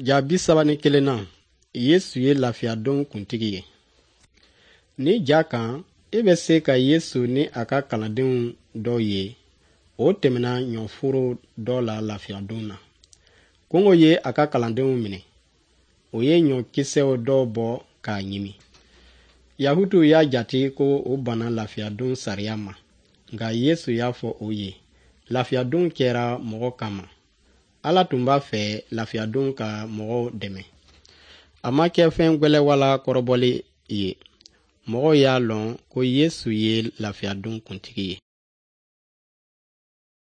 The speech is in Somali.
Ja 31nan, Yesu ye lafiyadon kuntigi ye. Ni ja kan, e bɛ se ka Yesu ni a ka kalandenw dɔw ye, o tɛmɛna ɲɔforo dɔ la lafiyadon na. Kɔngɔ ye a ka kalandenw minɛ. O ye ɲɔkisɛw dɔw bɔ k'a ɲimi. Yahutuw y'a jate ko o banna lafiyadon sariya ma, nka Yesu y'a fɔ o ye, lafiyadon kɛra mɔgɔ kama. Ala tun b'a fɛ lafiyadon ka mɔgɔw dɛmɛ. A ma kɛ fɛn gwɛlɛ wala kɔrɔbɔli ye. Mɔgɔw y'a lɔn ko Yesu ye lafiyadon kuntigi ye.